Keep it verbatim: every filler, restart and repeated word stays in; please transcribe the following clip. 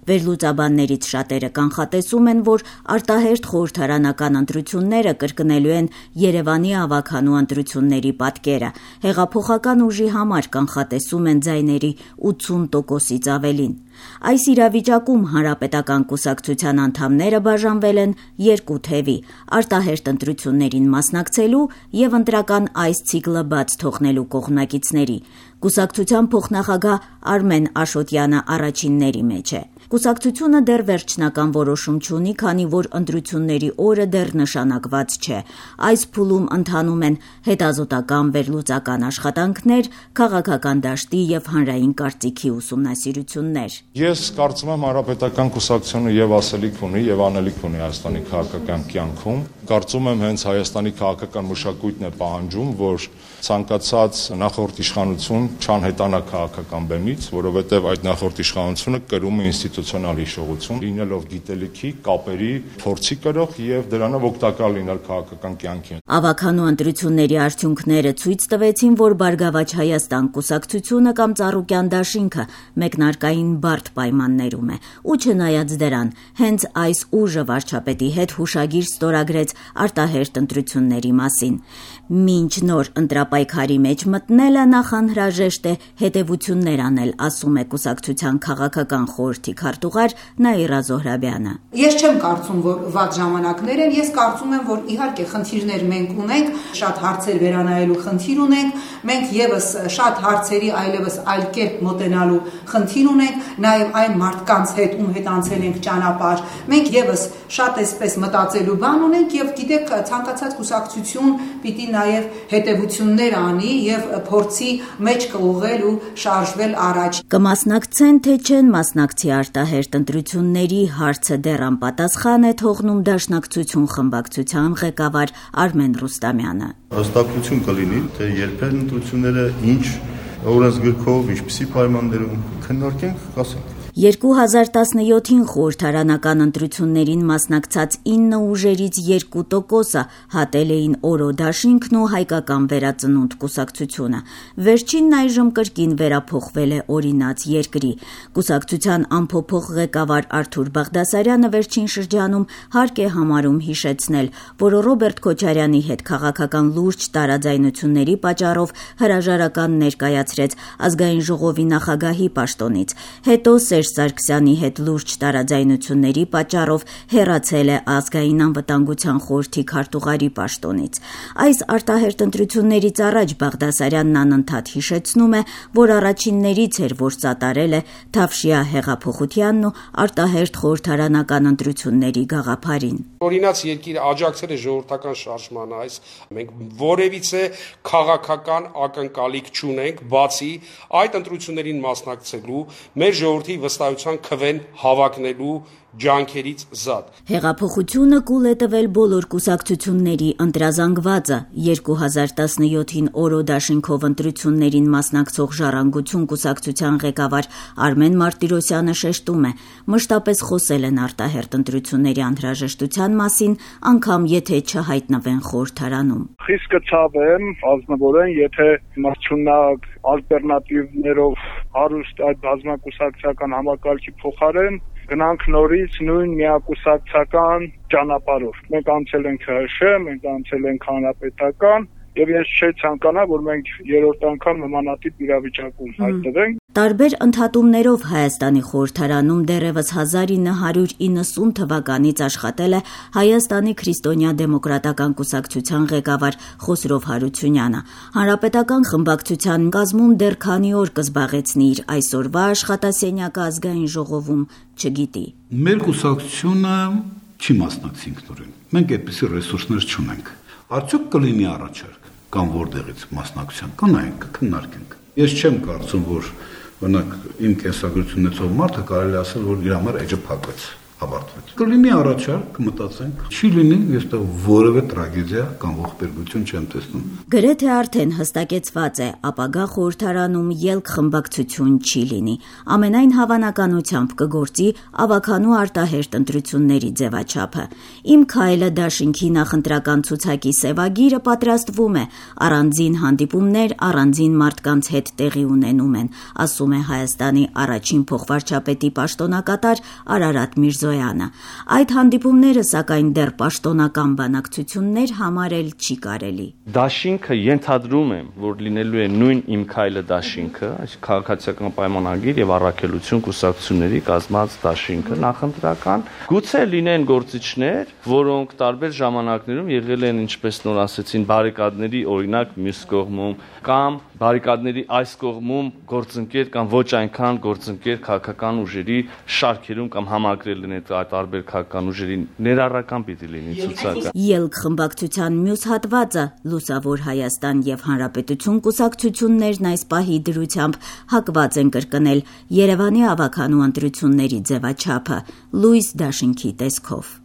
Վերլուծաբաններից շատերը կանխատեսում են, որ արտահերթ խորհրդարանական ընտրությունները կրկնելու են Երևանի ավագանու ընտրությունների պատկերը։ Հեղափոխական ուժի համար կանխատեսում են ձայների ութսուն տոկոսից ավելին։ Այս իրավիճակում Հանրապետական կուսակցության անդամները բաժանվել են երկու թևի՝ արտահերթ ընտրություններին մասնակցելու եւ ընտրական այս ցիկլը բաց թողնելու կողմնակիցների։ Կուսակցության փոխնախագահ Արմեն Աշոտյանը առաջինների մեջ է։ Կուսակցությունը դեռ վերջնական որոշում չունի, քանի որ ընտրությունների օրը դեռ նշանակված չէ։ Այս փուլում ընթանում են հետազոտական վերլուծական աշխատանքներ, քաղաքական դաշտի եւ հանրային կարծիքի ուսումնասիրություններ։ Ես կարծում եմ Հանրապետական կուսակցությունը եւ ասելիք ունի եւ անելիք ունի Հայաստանի քաղաքական կյանքում։ Կարծում եմ հենց Հայաստանի քաղաքական մշակույթն է պահանջում, որ ցանկացած նախորդ իշխանություն չանհետանա քաղաքական բեմից, որովհետեւ այդ նախորդ իշխանությունը կրում է ինստիտուցիոնալ հիշողություն, լինելով գիտելիքի, կապերի, փորձի կրող եւ դրանով օգտակար լինել քաղաքական կյանքին։ Ավագանու ընտրությունների արդյունքները ցույց տվեցին, որ Բարգավաճ Հայաստան կուսակցությունը կամ Ծառուկյան դաշինքը մեկնարկային բարդ պայմաններում է։ Ու չնայած դրան, հենց այս ուժը վարչապետի հետ հուշագիր ստորագրեց արտահերթ ընտրությունների մասին։ Մինչ նոր ընտրապայքարի մեջ մտնելը նախանհրաժեշտ է հետևություններ անել, ասում է կուսակցության քաղաքական խորհրդի քարտուղար Նաիրա Զոհրաբյանը։ Ես չեմ կարծում, որ վատ ժամանակներ են, ես կարծում եմ, որ իհարկե խնդիրներ մենք ունենք, շատ հարցեր վերանայելու խնդիր ունենք, մենք եւս շատ հարցերի այլևս այլ կերպ մոտենալու խնդիր ունենք, նաեւ այն մարդկանց հետ, ում հետ անցել ենք ճանապարհ, մենք եւս շատ էսպես մտածելու բան ունենք եւ գիտեք, ցանկացած կուսակցություն պիտի նաեւ հետևություններ անի եւ փորձի մեջ կուղղել ու շարժվել առաջ։ Կմասնակցեն թե չեն մասնակցի արտահերթ ընտրությունների հարցը դեռ անպատասխան է թողնում Դաշնակցություն խմբակցության ղեկավար Արմեն Ռուստամյանը։ Հստակություն կլինի, թե երբեր ընտրությունները ինչ օրենսգրքով, ինչպիսի պայմաններում քննարկենք, կասենք։ երկու հազար տասնյոթին խորհրդարանական ընտրություններին մասնակցած ինը ուժերից երկու տոկոսը հատել էին Օրո դաշինքն ու Հայկական վերածնունդ կուսակցությունը։ Վերջինն այժմ կրկին վերափոխվել է օրինաց երկրի։ Կուսակցության անփոփոխ ղեկավար Արթուր Բաղդասարյանը վերջին շրջանում հարկ է համարում հիշեցնել, որ Ռոբերտ Քոչարյանի հետ քաղաքական լուրջ տարաձայնությունների պատճառով հրաժարական ներկայացրեց Ազգային ժողովի նախագահի պաշտոնից։ Հետո Սարգսյանի հետ լուրջ տարաձայնությունների պատճառով հեռացել է Ազգային անվտանգության խորհրդի քարտուղարի պաշտոնից։ Այս արտահերթ ընտրություններից առաջ Բաղդասարյանն անընդհատ հիշեցնում է, որ առաջիններից էր, որ սատարել է Թավշյա հեղափոխությանն ու արտահերթ խորհրդարանական ընտրությունների գաղափարին։ Օրինաց երկիրը աջակցել է ժողովրդական շարժմանը, այս մենք որևիցե քաղաքական ակնկալիք չունենք, բացի այդ ընտրություններին մասնակցելու մեր ժողովրդի վստահության քվեն հավակնելու ջանքերից զատ։ Հեղափոխությունը կուլ է տվել բոլոր կուսակցությունների ընտրազանգվածը։ երկու հազար տասնյոթին Օրո դաշինքով ընտրություններին մասնակցող Ժառանգություն կուսակցության ղեկավար Արմեն Մարտիրոսյանը շեշտում է, մշտապես խոսել են արտահերթ ընտրությունների անհրաժեշտության մասին, անգամ եթե չհայտնվեն խորհրդարանում։ Խիստ կցավեմ, ազնվորեն, եթե մրցունակ ալտերնատիվներով հարուստ այդ բազմակուսակցական համակարգի փոխարեն գնանք նորից նույն միակուսակցական ճանապարհով։ Մենք անցել ենք ՀՀՇ, մենք անցել ենք հանրապետական, եւ ես չէ ցանկանա, որ մենք երրորդ անգամ նմանատիպ իրավիճակում հայտնվենք։ Տարբեր ընդհատումներով Հայաստանի խորհրդարանում դեռևս հազար ինը հարյուր իննսուն թվականից աշխատել է Հայաստանի քրիստոնյա դեմոկրատական կուսակցության ղեկավար Խոսրով Հարությունյանը։ Հանրապետական խմբակցության կազմում դեռ քանի օր կզբաղեցնի իր այսօրվա աշխատասենյակը Ազգային ժողովում, չգիտի։ Մեր կուսակցությունը չի մասնակցի ինքնուրույն։ Մենք այդպիսի ռեսուրսներ չունենք։ Արդյոք կլինի առաջարկ կամ որտեղից մասնակցության կանայինք, քննարկենք։ Ես չեմ կարծում, որ բնակ իմ կենսագրությունից ով մարդը կարելի ասել, որ իր համար էջը փակվեց։ հավարտվեց։ Կլինի առաջարկ, մտածենք, չի լինի, ես դա որևէ տրագեդիա կամ ողբերգություն չեմ տեսնում։ Գրեթե արդեն հստակեցված է, ապագա խորհրդարանում ելք խմբակցություն չի լինի։ Ամենայն հավանականությամբ կգործի ավականու արտահերտ ընտրությունների ձևաչափը։ Իմ քայլը դաշինքի նախընտրական ցուցակի սևագիրը պատրաստվում է, առանձին հանդիպումներ առանձին մարդկանց հետ տեղի ունենում են, ասում է Հայաստանի առաջին փոխվարչապետի պաշտոնակատար Արարատ Միրզոյանը։ Այդ հանդիպումները սակայն դեռ պաշտոնական բանակցություններ համարել չի կարելի։ Դաշինքը ենթադրում եմ, որ լինելու է նույն իմ քայլը դաշինքը, այսինքն քաղաքացիական պայմանագիր եւ առաքելություն կուսակցությունների կազմած դաշինքը նախընտրական, գուցե լինեն գործիչներ, որոնք տարբեր ժամանակներում եղել են, ինչպես նոր ասեցին, բարիկադների օրինակ մյուս կողմում կամ բարիկադների այս կողմում գործընկեր կամ ոչ այնքան գործընկեր քաղաքական ուժերի շարքերում կամ համակրել են այդ տարբեր քաղաքական ուժերի ներառական պիտի լինի ցուցակը։ Ելք խմբակցության մյուս հատվածը Լուսավոր Հայաստան եւ Հանրապետություն կուսակցություններն այս պահի դրությամբ հակված են կրկնել Երևանի ավականու ընտրությունների ձևաչափը լույս դաշինքի տեսքով։